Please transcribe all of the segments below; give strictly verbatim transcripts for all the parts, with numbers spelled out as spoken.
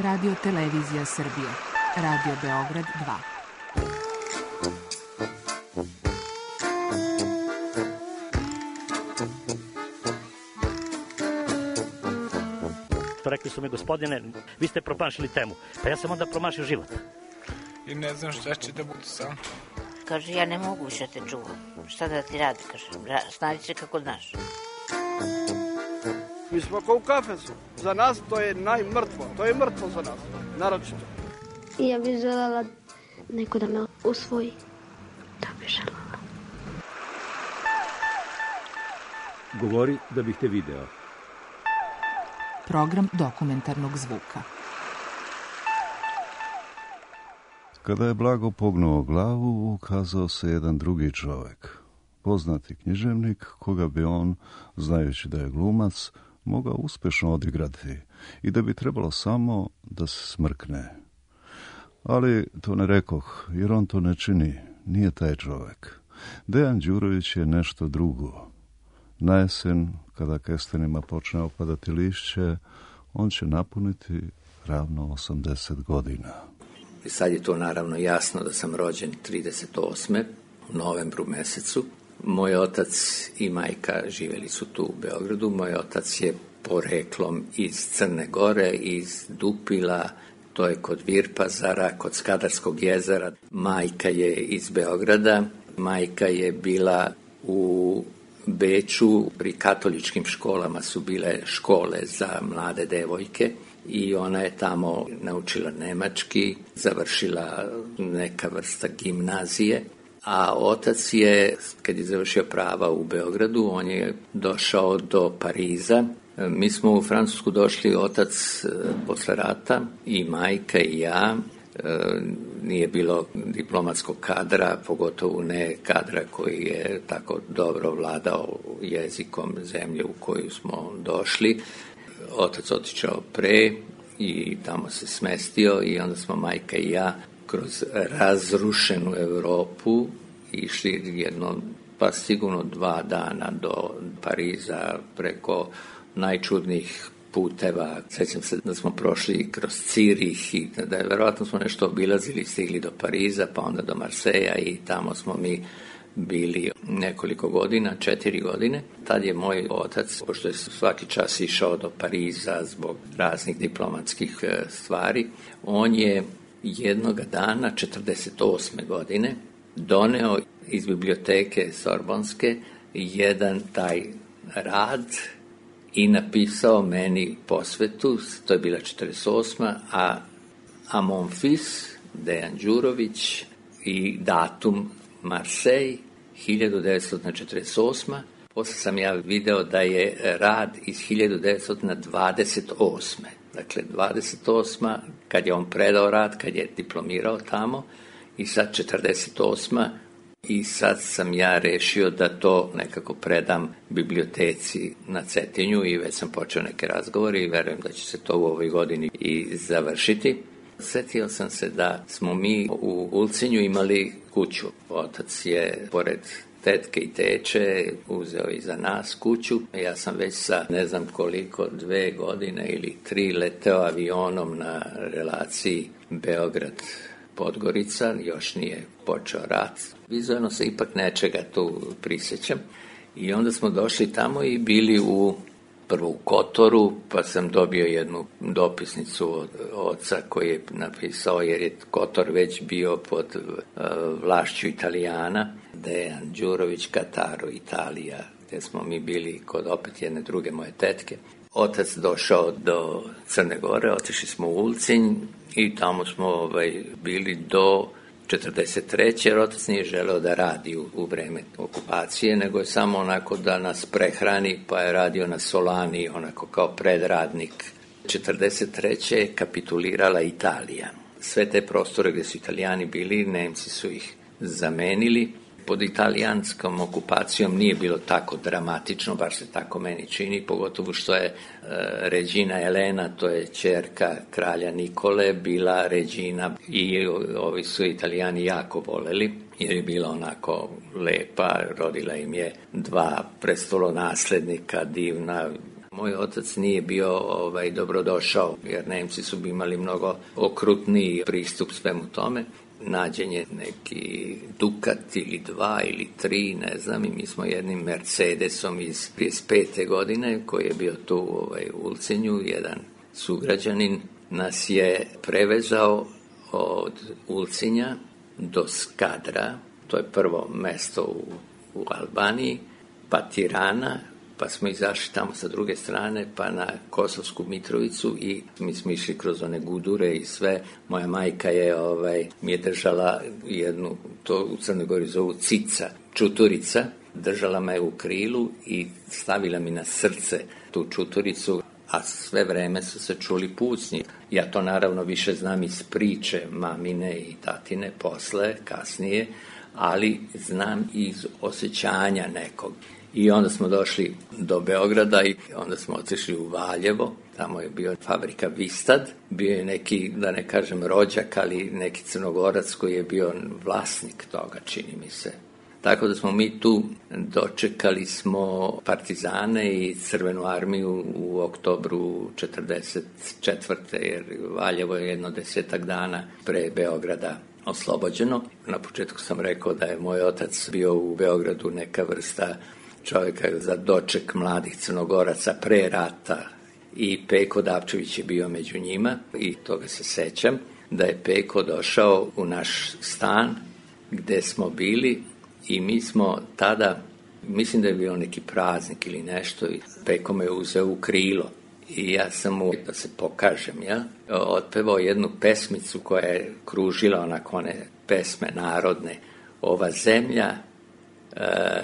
Radio Televizija Srbije. Radio Beograd dva. Rekli su mi, gospodine, vi ste promašili temu. Pa ja sam onda promašio život. I ne znam šta će da bude sam. Kaže, ja ne mogu više te čuvam. Šta da ti radi, kaže, snađi se kako znaš. Mi smo kao u kafesu. Za nas to je najmrtvo. To je mrtvo za nas, naročito. I ja bih željela neko da me usvoji. Da bih željela. Govori da bih te video. Program dokumentarnog zvuka. Kada je Blago pognuo glavu, ukazao se jedan drugi čovjek. Poznati književnik, koga bi on, znajući da je glumac, mogao uspješno odigrati i da bi trebalo samo da se smrkne. Ali to ne rekoh, jer on to ne čini, nije taj čovjek. Dejan Đurović je nešto drugo. Na jesen, kada kestenima počne opadati lišće, on će napuniti ravno osamdeset godina. I sad je to naravno jasno da sam rođen trideset osme u novembru mesecu. Moj otac i majka živjeli su tu u Beogradu. Moj otac je poreklom iz Crne Gore, iz Dupila, to je kod Virpazara, kod Skadarskog jezera. Majka je iz Beograda. Majka je bila u Beču, pri katoličkim školama su bile škole za mlade devojke i ona je tamo naučila nemački, završila neka vrsta gimnazije, a otac je, kad je završio prava u Beogradu, on je došao do Pariza. Mi smo u Francusku došli, otac posle rata, i majka i ja. Nije bilo diplomatskog kadra, pogotovo ne kadra koji je tako dobro vladao jezikom zemlje u koju smo došli. Otac otišao pre i tamo se smestio i onda smo majka i ja kroz razrušenu Europu išli jedno, pa sigurno dva dana do Pariza preko najčudnijih puteva. Sjećam se da smo prošli kroz Cirih i da je verovatno smo nešto obilazili, stigli do Pariza, pa onda do Marseja i tamo smo mi bili nekoliko godina, četiri godine. Tad je moj otac, pošto je svaki čas išao do Pariza zbog raznih diplomatskih stvari, on je jednoga dana, četrdeset osme godine, doneo iz biblioteke Sorbonske jedan taj rad i napisao meni posvetu, to je bila četrdeset osma, a, a mon fils, Dejan Đurović, i datum Marseille, hiljadu devetsto četrdeset osma. Posle sam ja video da je rad iz hiljadu devetsto dvadeset osme. Dakle, dvadeset osma, kad je on predao rad, kad je diplomirao tamo, i sad četrdeset osma, i sad sam ja rešio da to nekako predam biblioteci na Cetinju i već sam počeo neke razgovore i verujem da će se to u ovoj godini i završiti. Sjetio sam se da smo mi u Ulcinju imali kuću. Otac je, pored tetke i teče, uzeo i za nas kuću. Ja sam već sa ne znam koliko, dve godine ili tri leteo avionom na relaciji Beograd-Podgorica, još nije počeo rat. Vizualno se ipak nečega tu prisjećam. I onda smo došli tamo i bili u prvo u Kotoru, pa sam dobio jednu dopisnicu od oca koji je napisao, jer je Kotor već bio pod uh, vlašću Italijana, Dejan Đurović, Kataro, Italija, gdje smo mi bili kod opet jedne druge moje tetke. Otac došao do Crne Gore, otišli smo u Ulcinj i tamo smo ovaj, bili do četrdeset treće jer otac nije želeo da radi u, u vreme okupacije, nego je samo onako da nas prehrani, pa je radio na Solani, onako kao predradnik. četrdeset treće je kapitulirala Italija. Sve te prostore gdje su Italijani bili, Nemci su ih zamenili. Pod italijanskom okupacijom nije bilo tako dramatično, baš se tako meni čini, pogotovo što je e, Regina Elena, to je ćerka kralja Nikole, bila Regina i ovi su Italijani jako voleli, jer je bila onako lepa, rodila im je dva prestolonaslednika, divna, Moj otac nije bio ovaj, dobrodošao, jer Nemci su imali mnogo okrutniji pristup svemu tome. Nađen je neki Dukat ili dva ili tri, ne znam, i mi smo jednim Mercedesom iz trideset pete godine, koji je bio tu ovaj, u Ulcinju, jedan sugrađanin nas je prevezao od Ulcinja do Skadra, to je prvo mesto u, u Albaniji, pa Tirana, pa smo izašli tamo sa druge strane, pa na Kosovsku Mitrovicu i mi smo išli kroz one gudure i sve. Moja majka je, ovaj, mi je držala jednu, to u Crnoj Gori zovu cica, čuturica, držala me u krilu i stavila mi na srce tu čuturicu, a sve vreme su se čuli pucnji. Ja to naravno više znam iz priče mamine i tatine posle, kasnije, ali znam iz osjećanja nekog. I onda smo došli do Beograda i onda smo otišli u Valjevo, tamo je bio fabrika Vistad, bio je neki, da ne kažem rođak, ali neki Crnogorac koji je bio vlasnik toga, čini mi se. Tako da smo mi tu dočekali smo partizane i Crvenu armiju u oktobru četrdeset četvrte jer Valjevo je jedno desetak dana pre Beograda oslobođeno. Na početku sam rekao da je moj otac bio u Beogradu neka vrsta čovjeka za doček mladih Crnogoraca pre rata i Peko Dapčević je bio među njima i toga se sećam, da je Peko došao u naš stan gde smo bili i mi smo tada, mislim da je bio neki praznik ili nešto, i Peko me uzeo u krilo i ja sam mu, da se pokažem, ja, otpevao jednu pesmicu koja je kružila onako one pesme narodne. Ova zemlja, e,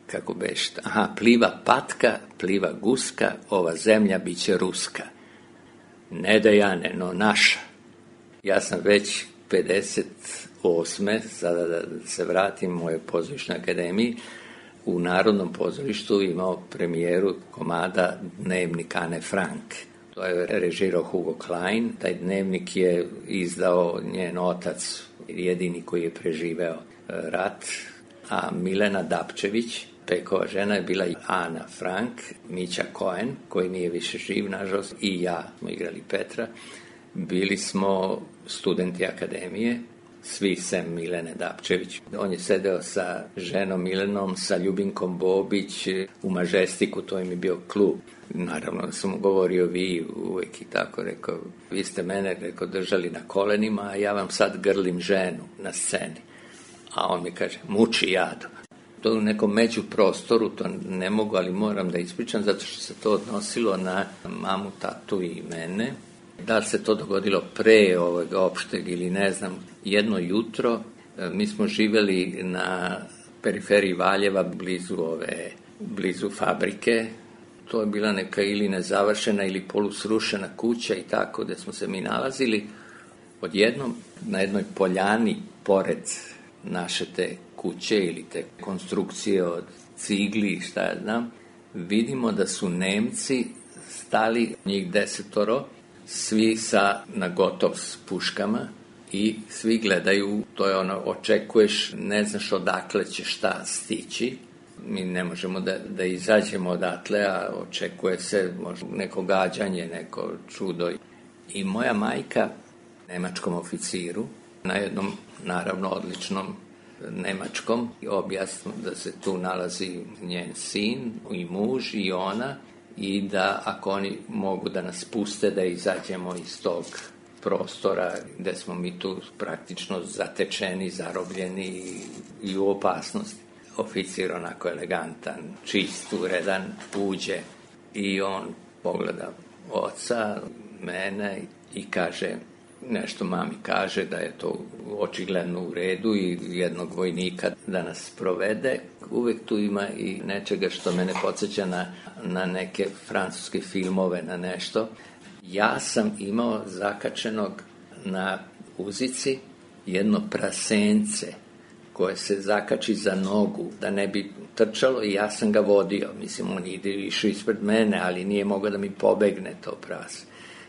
kako beš, aha, pliva patka, pliva guska, ova zemlja biće ruska. Ne da Jane, no naša. Ja sam već pedeset osme, sada da se vratim u mojoj pozorišnoj akademiji, u Narodnom pozorištu imao premijeru komada Dnevnik Ane Frank. To je režirao Hugo Klein. Taj dnevnik je izdao njen otac, jedini koji je preživeo rat, a Milena Dapčević, Pekova žena, je bila Ana Frank, Mića Cohen, koji nije više živ, nažalost, i ja smo igrali Petra. Bili smo studenti akademije, svi sem Milene Dapčević. On je sedeo sa ženom Milenom, sa Ljubinkom Bobić u Mažestiku, to im je bio klub. Naravno sam mu govorio vi uvijek i tako, rekao, vi ste mene, rekao, držali na kolenima, a ja vam sad grlim ženu na sceni. A on mi kaže, muči jadu. To u nekom među prostoru, to ne mogu, ali moram da ispričam, zato što se to odnosilo na mamu, tatu i mene. Da li se to dogodilo pre ovog opšteg ili ne znam, jedno jutro, mi smo živjeli na periferiji Valjeva, blizu ove, blizu fabrike. To je bila neka ili nezavršena ili polusrušena kuća i tako, gde smo se mi nalazili. Odjednom, na jednoj poljani, pored naše te kuće ili te konstrukcije od cigli, šta ja znam, vidimo da su Nemci stali, njih desetoro, svi sa nagotov s puškama i svi gledaju, to je ono, očekuješ, ne znaš odakle će šta stići. Mi ne možemo da, da izađemo odatle, a očekuje se možda neko gađanje, neko čudo. I moja majka, nemačkom oficiru, na jednom, naravno, odličnom nemačkom, objasnu da se tu nalazi njen sin i muž i ona, i da ako oni mogu da nas puste da izađemo iz tog prostora gde smo mi tu praktično zatečeni, zarobljeni i, i u opasnosti. Oficir onako elegantan, čist, uredan, uđe i on pogleda oca, mene i kaže, nešto mami kaže da je to očigledno u redu i jednog vojnika da nas provede. Uvek tu ima i nečega što mene podsjeća na, na neke francuske filmove, na nešto. Ja sam imao zakačenog na uzici jedno prasence koje se zakači za nogu, da ne bi trčalo, i ja sam ga vodio. Mislim, on ide išao ispred mene, ali nije mogao da mi pobegne to prase.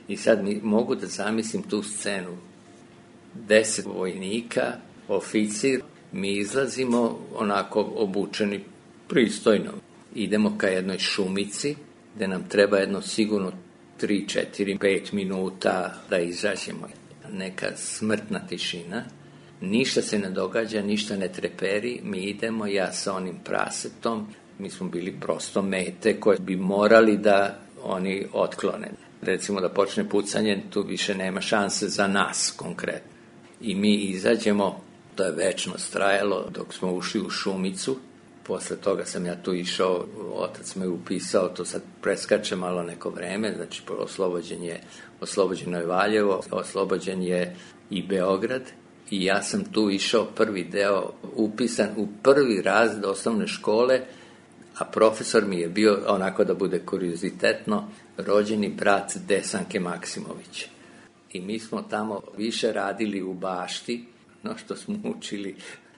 I sad mi mogu da zamislim tu scenu. Deset vojnika, oficir, mi izlazimo onako obučeni pristojno. Idemo ka jednoj šumici gde nam treba jedno sigurno tri, četiri, pet minuta da izađemo. Neka smrtna tišina, ništa se ne događa, ništa ne treperi, mi idemo, ja sa onim prasetom, mi smo bili prosto mete koje bi morali da oni otklone. Recimo da počne pucanje, tu više nema šanse za nas konkretno. I mi izađemo, to je večno trajalo dok smo ušli u šumicu. Posle toga sam ja tu išao, otac me upisao, to sad preskače malo neko vreme, znači oslobođen je, oslobođeno je Valjevo, oslobođen je i Beograd i ja sam tu išao prvi deo upisan u prvi razred osnovne škole, a profesor mi je bio, onako da bude kuriozitetno, rođeni brat Desanke Maksimović. I mi smo tamo više radili u bašti, no što smo učili,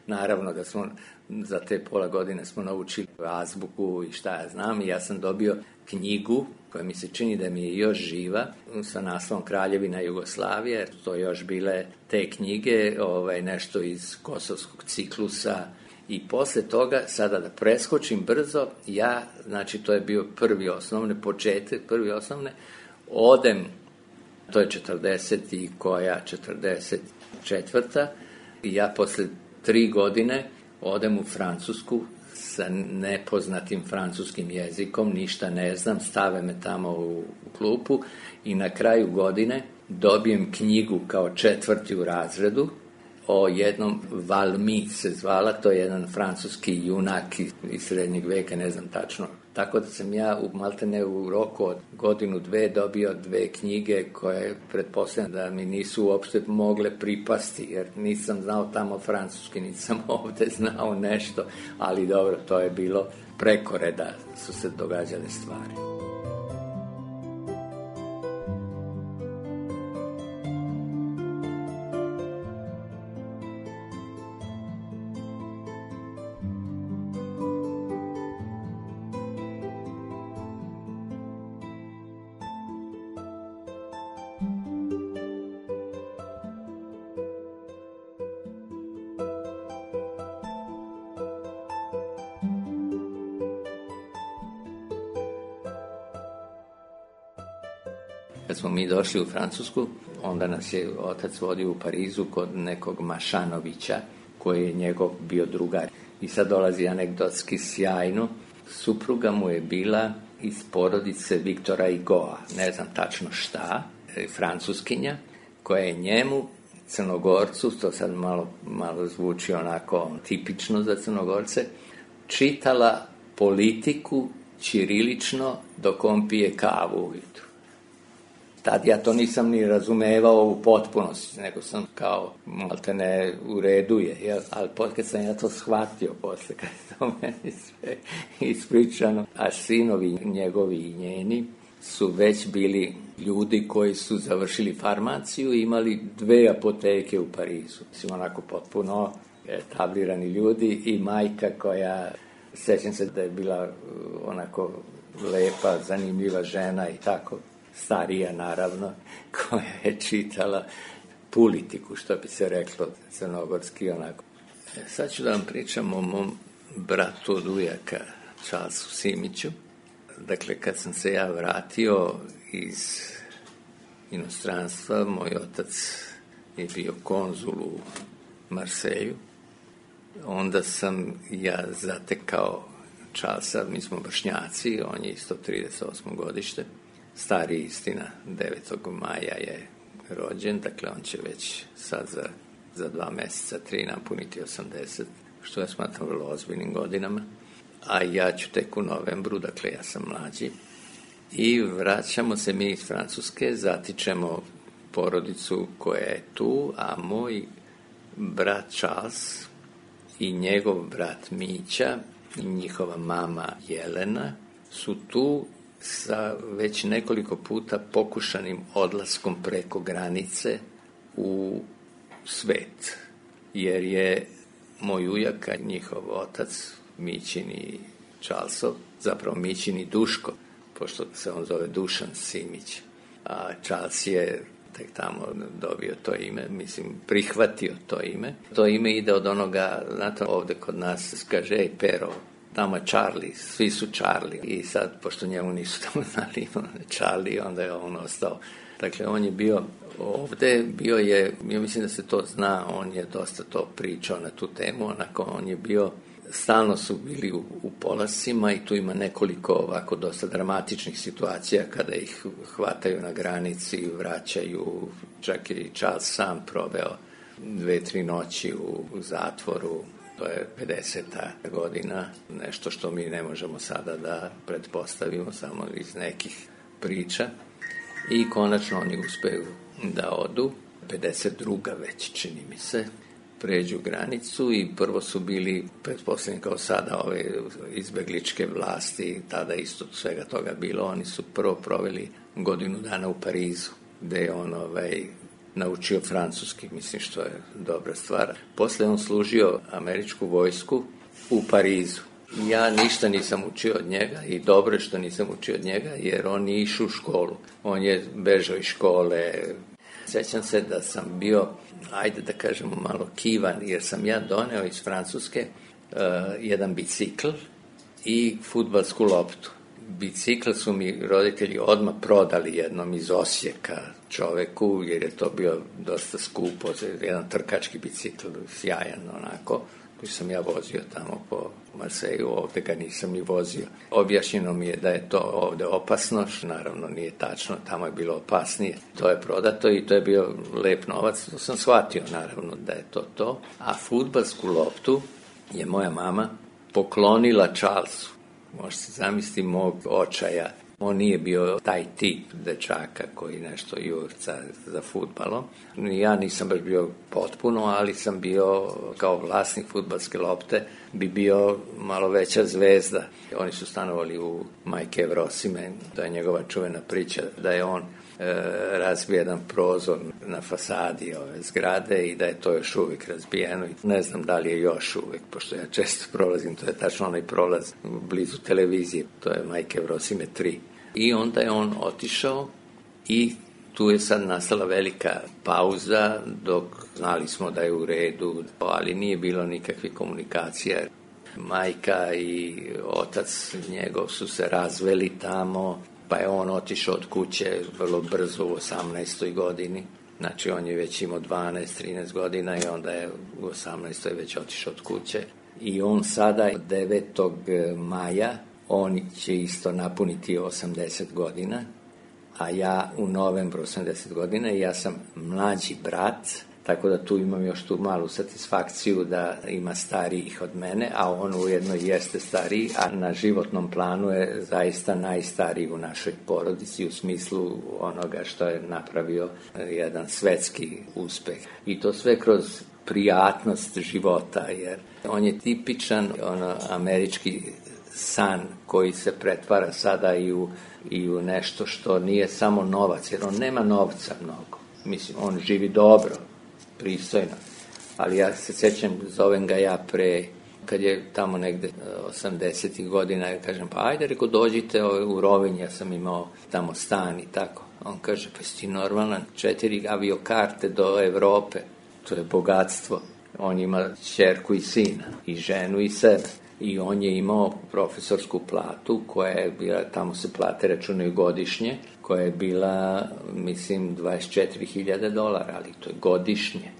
naravno da smo za te pola godine smo naučili azbuku i šta ja znam, i ja sam dobio knjigu koja mi se čini da mi je još živa sa naslovom Kraljevina Jugoslavije. To još bile te knjige, ovaj, nešto iz Kosovskog ciklusa. I posle toga, sada da preskočim brzo, ja, znači to je bio prvi osnovne, početak prvi osnovne, odem, to je četrdeset i koja, četrdeset četvrta i ja posle tri godine odem u Francusku sa nepoznatim francuskim jezikom, ništa ne znam, stave me tamo u, u klupu i na kraju godine dobijem knjigu kao četvrti u razredu o jednom Valmy se zvala, to je jedan francuski junak iz srednjeg veka, ne znam tačno. Tako da sam ja u maltene u roku od godinu dve dobio dve knjige koje pretpostavljam da mi nisu uopšte mogle pripasti, jer nisam znao tamo francuski, nisam ovde znao nešto, ali dobro, to je bilo preko reda, su se događale stvari. Kad smo mi došli u Francusku, onda nas je otac vodio u Parizu kod nekog Mašanovića, koji je njegov bio drugar. I sad dolazi anegdotski sjajno. Supruga mu je bila iz porodice Viktora Hugoa, ne znam tačno šta, francuskinja, koja je njemu, Crnogorcu, to sad malo, malo zvuči onako tipično za Crnogorce, čitala politiku ćirilično dok on pije kavu ujutru. Tad ja to nisam ni razumevao u potpunosti, nego sam kao maltene u redu je, jel? Ali kad sam ja to shvatio posle, kad je to meni sve ispričano, a sinovi njegovi i njeni su već bili ljudi koji su završili farmaciju i imali dve apoteke u Parizu. Mislim, onako potpuno etablirani ljudi i majka koja, sećam se da je bila onako lepa, zanimljiva žena i tako, starija naravno, koja je čitala politiku, što bi se reklo crnogorski onako. E, sad ću da vam pričam o mom bratu od ujaka, Charlesu Simiću. Dakle, kad sam se ja vratio iz inostranstva, moj otac je bio konzul u Marselju, onda sam ja zatekao Charlesa, mi smo vršnjaci, on je isto trideset osmo godište, stari istina, devetog maja je rođen, dakle on će već sad za, za dva meseca, tri napuniti osamdeset, što ja smatram vrlo ozbiljnim godinama, a ja ću tek u novembru, dakle ja sam mlađi, i vraćamo se mi iz Francuske, zatičemo porodicu koja je tu, a moj brat Charles i njegov brat Mića i njihova mama Jelena su tu sa već nekoliko puta pokušanim odlaskom preko granice u svet, jer je moj ujak, njihov otac Mićin i Charlesov, zapravo Mićin i Duško, pošto se on zove Dušan Simić, a Charles je tek tamo dobio to ime, mislim, prihvatio to ime. To ime ide od onoga, znate, ovde kod nas kaže, ej, Pero, tamo je Charlie, svi su Charlie. I sad, pošto njemu nisu tamo znali Charlie, onda je on ostao. Dakle, on je bio ovde, bio je, ja mislim da se to zna, on je dosta to pričao na tu temu, onako, on je bio, stalno su bili u, u polascima i tu ima nekoliko ovako dosta dramatičnih situacija kada ih hvataju na granici, vraćaju, čak i Charles sam proveo dve, tri noći u, u zatvoru. To je pedeseta godina, nešto što mi ne možemo sada da pretpostavimo samo iz nekih priča. I konačno oni uspeju da odu, pedeset druga već čini mi se, pređu granicu i prvo su bili, pretpostavljeni kao sada, ove izbegličke vlasti, tada isto svega toga bilo, oni su prvo proveli godinu dana u Parizu, gde je on ovaj, naučio francuski, mislim što je dobra stvar. Posle on služio američku vojsku u Parizu. Ja ništa nisam učio od njega i dobro je što nisam učio od njega, jer on nije išao u školu. On je bežao iz škole. Sećam se da sam bio, ajde da kažemo, malo kivan, jer sam ja doneo iz Francuske uh, jedan bicikl i fudbalsku loptu. Bicikl su mi roditelji odmah prodali jednom iz Osijeka čoveku, jer je to bio dosta skupo, jedan trkački bicikl, sjajan onako, koji sam ja vozio tamo po Marseju, ovde ga nisam ni vozio. Objašnjeno mi je da je to ovde opasno, što naravno nije tačno, tamo je bilo opasnije. To je prodato i to je bio lep novac, to sam shvatio naravno da je to to. A fudbalsku loptu je moja mama poklonila Charlesu. Možete zamisliti mog očaja. On nije bio taj tip dečaka koji nešto jurca za fudbalom. Ja nisam baš bio potpuno, ali sam bio kao vlasnik fudbalske lopte, bi bio malo veća zvezda. Oni su stanovali u Majke Evrosime, to je njegova čuvena priča, da je on e, razbio jedan prozor na fasadi ove zgrade i da je to još uvijek razbijeno. Ne znam da li je još uvijek, pošto ja često prolazim, to je tačno onaj prolaz blizu televizije, to je Majke Evrosime tri. I onda je on otišao i tu je sad nastala velika pauza, dok znali smo da je u redu, ali nije bilo nikakve komunikacije. Majka i otac njegov su se razveli tamo, pa je on otišao od kuće vrlo brzo u osamnaestoj godini. Znači on je već imao dvanaest trinaest godina i onda je u osamnaestoj već otišao od kuće. I on sada devetog maja, on će isto napuniti osamdeset godina, a ja u novembru osamdeset godina i ja sam mlađi brat, tako da tu imam još tu malu satisfakciju da ima starijih od mene, a on ujedno jeste stariji, a na životnom planu je zaista najstariji u našoj porodici u smislu onoga što je napravio jedan svetski uspeh. I to sve kroz prijatnost života, jer on je tipičan ono, američki san koji se pretvara sada i u, i u nešto što nije samo novac, jer on nema novca mnogo. Mislim, on živi dobro, pristojno, ali ja se sećam, zovem ga ja pre, kad je tamo negde osamdesetih godina, ja kažem, pa ajde, reko, dođite u Rovinj, ja sam imao tamo stan i tako. On kaže, pa si ti normalan, četiri aviokarte do Evrope, to je bogatstvo. On ima ćerku i sina, i ženu i sebe. I on je imao profesorsku platu koja je bila, tamo se plate računaju godišnje, koja je bila, mislim, dvadeset četiri hiljade dolara, ali to je godišnje.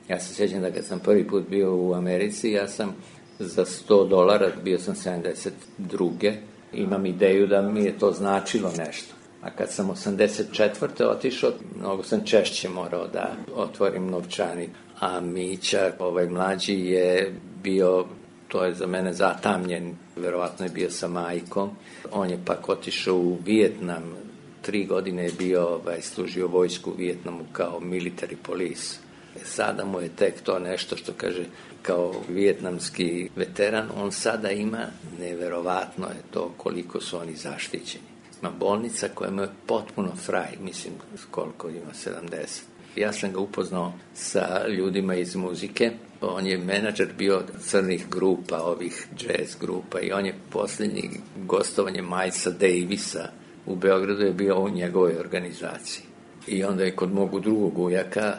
Ja se sjećam da kad sam prvi put bio u Americi, ja sam za sto dolara, bio sam sedamdeset druge imam ideju da mi je to značilo nešto. A kad sam osamdeset četvrte otišao, mnogo sam češće morao da otvorim novčanik. A Mića, ovaj mlađi, je bio, to je za mene zatamljen, verovatno je bio sa majkom. On je pak otišao u Vijetnam, tri godine je bio, ovaj, služio vojsku u Vijetnamu kao military police. Sada mu je tek to nešto što kaže, kao vijetnamski veteran, on sada ima, neverovatno je to koliko su oni zaštićeni. Ima bolnica koja mu je potpuno fraj, mislim koliko ima, sedamdeset. Ja sam ga upoznao sa ljudima iz muzike. On je menadžer bio crnih grupa, ovih jazz grupa, i on je posljednji gostovanje Milesa Davisa u Beogradu je bio u njegovoj organizaciji. I onda je kod mogu drugog ujaka,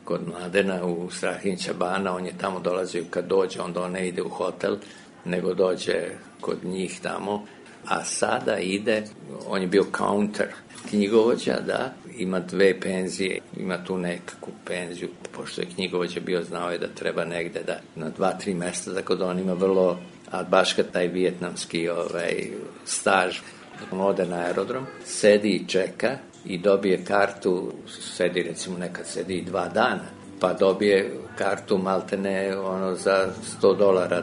kod Mladena u Strahinjića Bana, on je tamo dolazio, kad dođe, onda on ne ide u hotel, nego dođe kod njih tamo, a sada ide, on je bio counter, knjigovođa, da, ima dve penzije, ima tu nekakvu penziju, pošto je knjigovođa bio, znao je da treba negde da na dva, tri mesta, tako da on ima vrlo, a baš kad taj vijetnamski ovaj, staž, on ode na aerodrom, sedi i čeka i dobije kartu, sedi recimo nekad sedi i dva dana, pa dobije kartu maltene ono za sto dolara.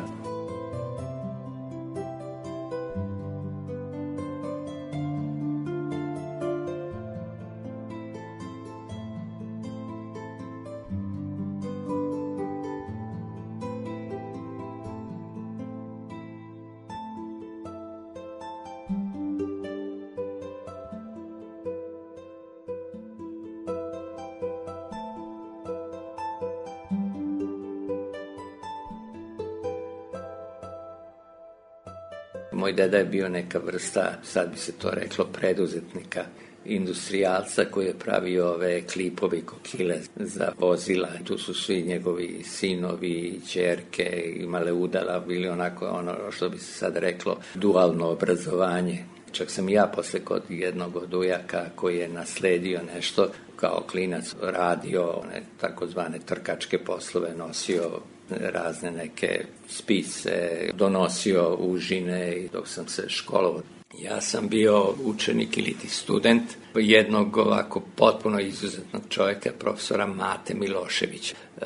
Moj deda je bio neka vrsta, sad bi se to reklo, preduzetnika, industrijalca koji je pravio ove klipovi kokile za vozila. Tu su svi njegovi sinovi, ćerke, imale udala, bili onako ono što bi se sad reklo dualno obrazovanje. Čak sam i ja posle kod jednog od ujaka koji je nasledio nešto kao klinac radio, one takozvane trkačke poslove, nosio razne neke spise, donosio užine dok sam se školovao. Ja sam bio učenik ili ti student jednog ovako potpuno izuzetnog čovjeka, profesora Mate Miloševića. E,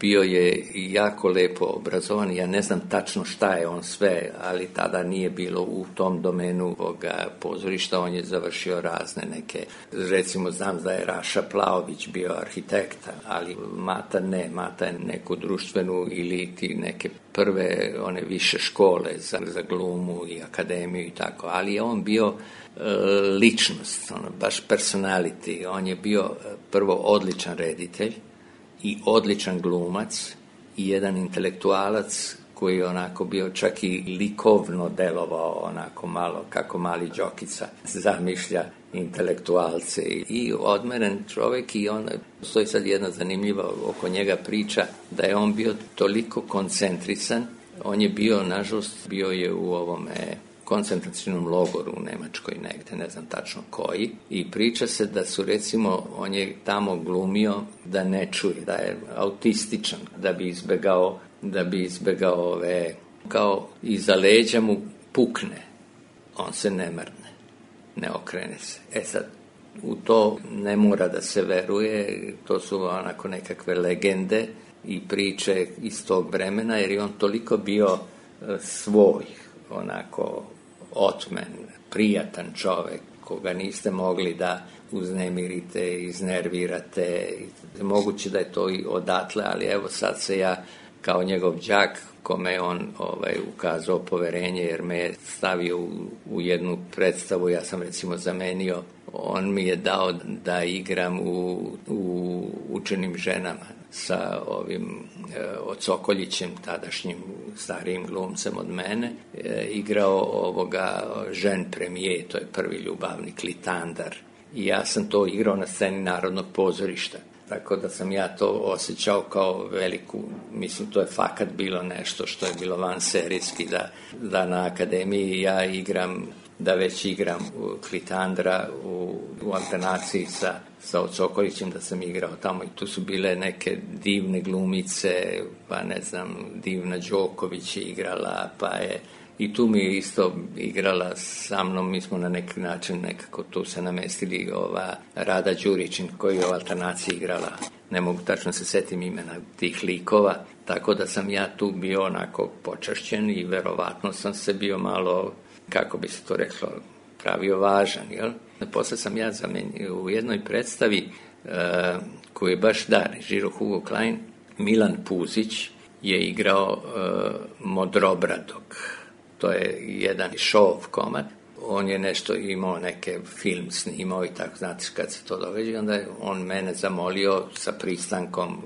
bio je jako lepo obrazovan, ja ne znam tačno šta je on sve, ali tada nije bilo u tom domenu ovoga pozorišta, on je završio razne neke, recimo znam da je Raša Plaović bio arhitekta, ali Mata ne, Mata je neku društvenu ili ti neke prve one više škole za, za glumu i akademiju i tako, ali je on bio e, ličnost, ono, baš personality. On je bio prvo odličan reditelj i odličan glumac i jedan intelektualac koji je onako bio čak i likovno delovao onako malo kako mali Đokica zamišlja intelektualce i odmeren čovjek i on, stoji sad jedna zanimljiva oko njega priča da je on bio toliko koncentrisan, on je bio, nažalost, bio je u ovome koncentracijnom logoru u Nemačkoj negde, ne znam tačno koji, i priča se da su recimo, on je tamo glumio da ne čuje, da je autističan, da bi izbegao, da bi izbegao ove, kao iza leđa mu pukne, on se ne mrne, ne okrene se. E sad, u to ne mora da se veruje, to su onako nekakve legende i priče iz tog vremena, jer je on toliko bio svoj, onako otmen, prijatan čovjek, koga niste mogli da uznemirite, iznervirate. Moguće da je to i odatle, ali evo sad se ja kao njegov đak, kome je on ovaj, ukazao poverenje, jer me je stavio u, u jednu predstavu, ja sam recimo zamenio, on mi je dao da igram u, u Učenim ženama sa ovim e, Ocokoljićem, tadašnjim starijim glumcem od mene, e, igrao ovoga Žen premije, to je prvi ljubavni Klitandar. I ja sam to igrao na sceni Narodnog pozorišta. Tako da sam ja to osjećao kao veliku, mislim, to je fakat bilo nešto što je bilo vanserijski, da, da na akademiji ja igram, da već igram Klitandra u, u alternaciji sa, sa Ocokolićem, da sam igrao tamo i tu su bile neke divne glumice, pa ne znam, divna Đoković je igrala, pa je i tu mi je isto igrala sa mnom, mi smo na neki način nekako tu se namestili ova Rada Đurićin koji je u alternaciji igrala, ne mogu tačno se setim imena tih likova, tako da sam ja tu bio onako počašćen i verovatno sam se bio malo, kako bi se to reklo, pravio važan, jel? Posle sam ja zamenio u jednoj predstavi uh, koju je baš da, režirao Hugo Klein, Milan Puzić je igrao uh, Modrobradog. To je jedan šov komad. On je nešto imao, neke film snimao i tako, znate kad se to događa, onda je on mene zamolio sa pristankom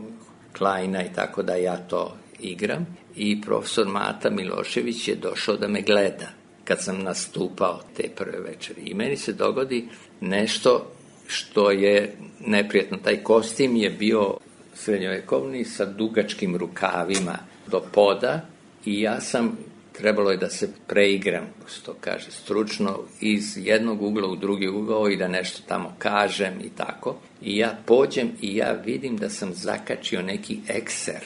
Kleina i tako da ja to igram. I profesor Mata Milošević je došao da me gleda kad sam nastupao te prve večeri. I meni se dogodi nešto što je neprijatno. Taj kostim je bio srednjovekovni sa dugačkim rukavima do poda i ja sam trebalo je da se preigram, što kaže, stručno, iz jednog ugla u drugi ugao i da nešto tamo kažem i tako. I ja pođem i ja vidim da sam zakačio neki ekser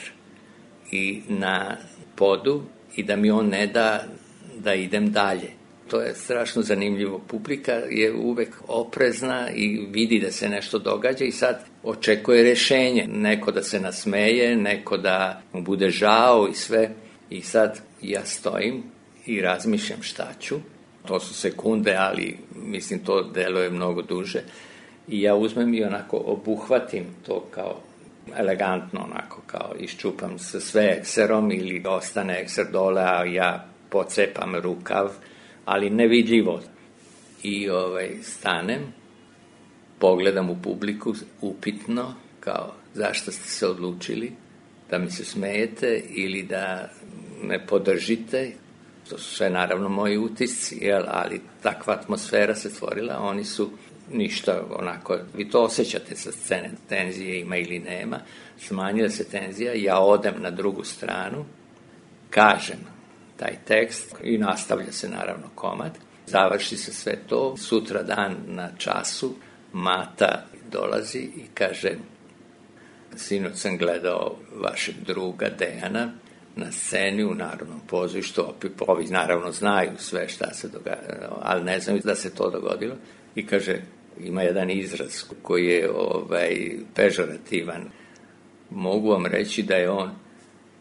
i na podu i da mi on ne da da idem dalje. To je strašno zanimljivo. Publika je uvek oprezna i vidi da se nešto događa i sad očekuje rešenje. Neko da se nasmeje, neko da mu bude žao i sve. I sad ja stojim i razmišljam šta ću. To su sekunde, ali mislim to deluje mnogo duže. I ja uzmem i onako obuhvatim to kao elegantno, onako kao iščupam se sve ekserom ili ostane ekser dole, a ja pocepam rukav, ali nevidljivo. I ovaj, stanem, pogledam u publiku upitno, kao zašto ste se odlučili da mi se smejete ili da me podržite. To su sve naravno moji utisci, jel? Ali takva atmosfera se stvorila, oni su ništa onako, vi to osjećate sa scene, tenzije ima ili nema, smanjila se tenzija, ja odem na drugu stranu, kažem taj tekst i nastavlja se naravno komad, završi se sve to, sutra dan na času Mata dolazi i kaže, sinoć sam gledao vašeg druga Dejana na sceni u Narodnom pozorištu, ovi naravno znaju sve šta se događa, ali ne znaju da se to dogodilo. I kaže, ima jedan izraz koji je ovaj, pežorativan. Mogu vam reći da je on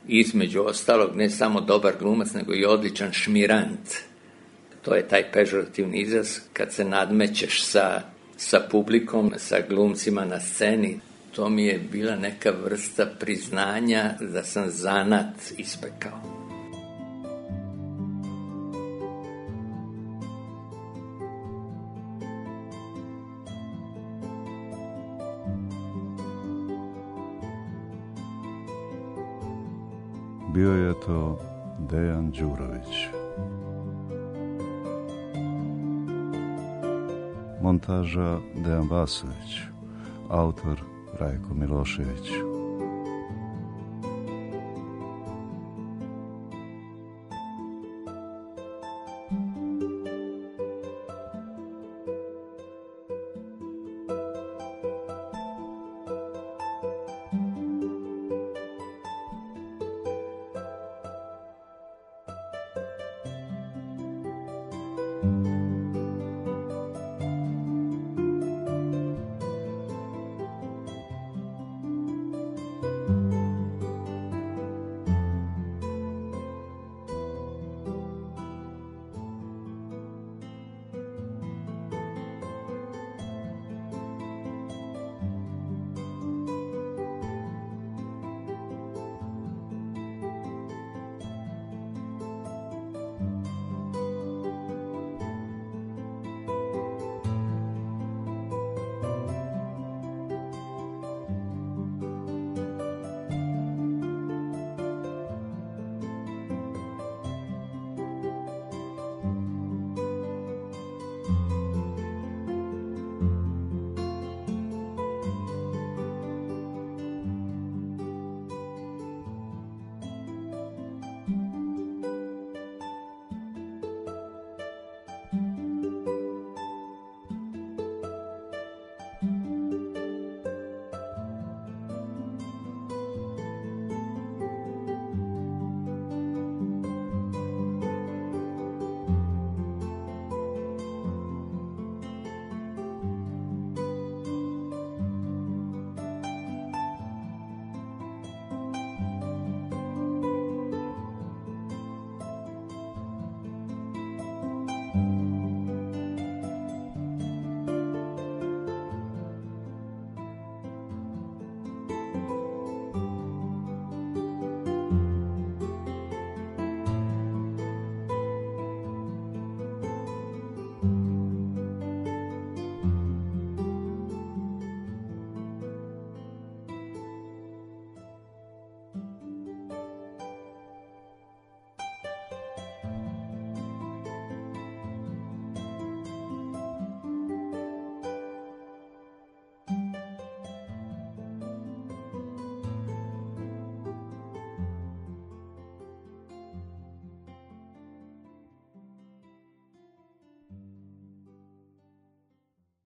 između ostalog ne samo dobar glumac, nego i odličan šmirant. To je taj pežorativni izraz kad se nadmećeš sa, sa publikom, sa glumcima na sceni. To mi je bila neka vrsta priznanja da sam zanat ispekao. Bio je to Dejan Đurović. Montaža Dejan Vasović. Autor Rajko Milošević.